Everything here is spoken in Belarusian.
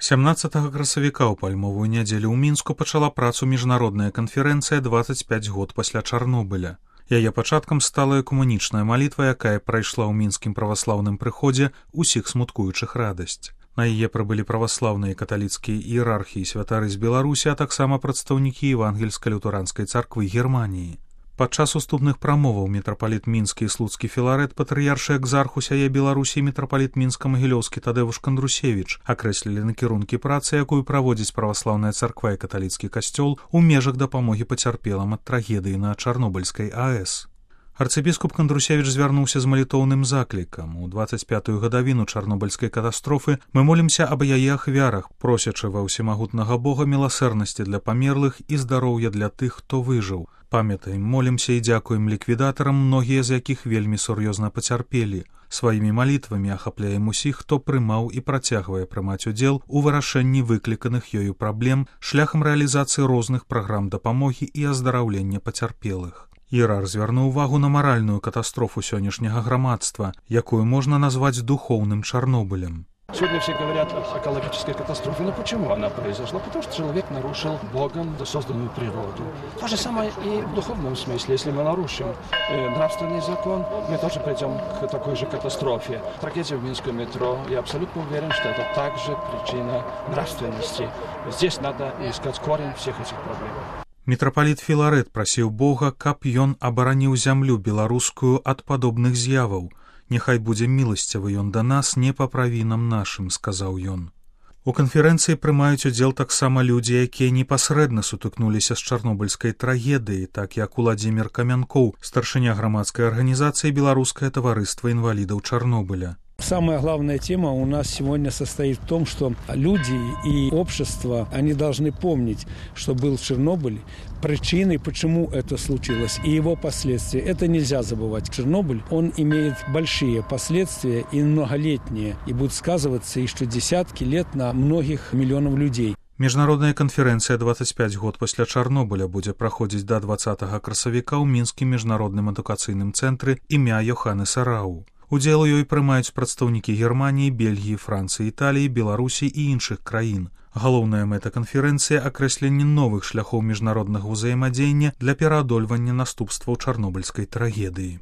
17 красавіка ў пальмовую нядзелю ў Мінску пачала працу міжнародная канферэнцыя 25 год пасля Чарнобыля. Яе пачаткам стала экумэнічная малітва, якая прайшла ў мінскім праваслаўным прыходзе ўсіх смуткуючых радасць. На яе прыбылі праваслаўныя каталіцкія іерархі і святары з Беларусі, а таксама прадстаўнікі евангельска-лютэранскай царквы Германіі. Падчас уступных прамоваў мітрапаліт мінскі і слуцкі Філарэт, патрыяршы экзарх усяе Беларусі і мітрапаліт мінска-магілёўскі Тадэвуш Кандрусевіч акрэслілі накірункі працы, якую праводзіць праваслаўная царква і каталіцкі касцёл у межах дапамогі пацярпелым ад трагедыі на Чарнобыльскай АЭС. Арцыбіскуп Кандрусевіч звярнуўся з малітоўным заклікам. У 25-ю гадавіну чарнобыльскай катастрофы мы молімся аб яе ахвярах, просячы ва ўсемагутнага Бога міласэрнасці для памерлых і здароўя для тых, хто выжыў. Памятаем, молімся і дзякуем ліквідатарам, многія з якіх вельмі сур'ёзна пацярпелі. Сваімі малітвамі ахапляем усіх, хто прымаў і працягвае прымаць удзел у вырашэнні выкліканых ёю праблем шляхам рэалізацыі розных праграм дапамогі і аздараўлення пацярпелых. Іерарх звярнуў увагу на маральную катастрофу сённяшняга грамадства, якую можна назваць духоўным Чарнобылем. Сегодня все говорят о экологической катастрофе. Но почему она произошла? Потому что человек нарушил Богом созданную природу. То же самое и в духовном смысле. Если мы нарушим нравственный закон, мы тоже придем к такой же катастрофе. Трагедия в Минском метро. Я абсолютно уверен, что это также причина нравственности. Здесь надо искать корень всех этих проблем. Мітрапаліт Філарэт прасіў Бога, каб ён абараніў зямлю беларускую ад падобных з'яваў. «Няхай будзе міласцівы ён да нас, не па правінам нашым», — сказаў ён. У канферэнцыі прымаюць удзел таксама людзі, якія непасрэдна сутыкнуліся з чарнобыльскай трагедыяй, так як Уладзімір Камянкоў, старшыня грамадскай арганізацыі «Беларускае таварыства інвалідаў Чарнобыля». Самая главная тема у нас сегодня состоит в том, что люди и общество, они должны помнить, что был Чернобыль, причины, почему это случилось, и его последствия. Это нельзя забывать. Чернобыль, он имеет большие последствия и многолетние, и будет сказываться еще десятки лет на многих миллионов людей. Міжнародная канферэнцыя 25 год пасля Чарнобыля будзе праходзіць да 20 красавіка ў мінскім міжнародным адукацыйным цэнтры імя Йоханнеса Рау. Удзел у ёй прымаюць прадстаўнікі Германіі, Бельгіі, Францыі, Італіі, Беларусі і іншых краін. Галоўная мэта канферэнцыі — акрэсленне новых шляхоў міжнароднага ўзаемадзеяння для пераадольвання наступстваў чарнобыльскай трагедыі.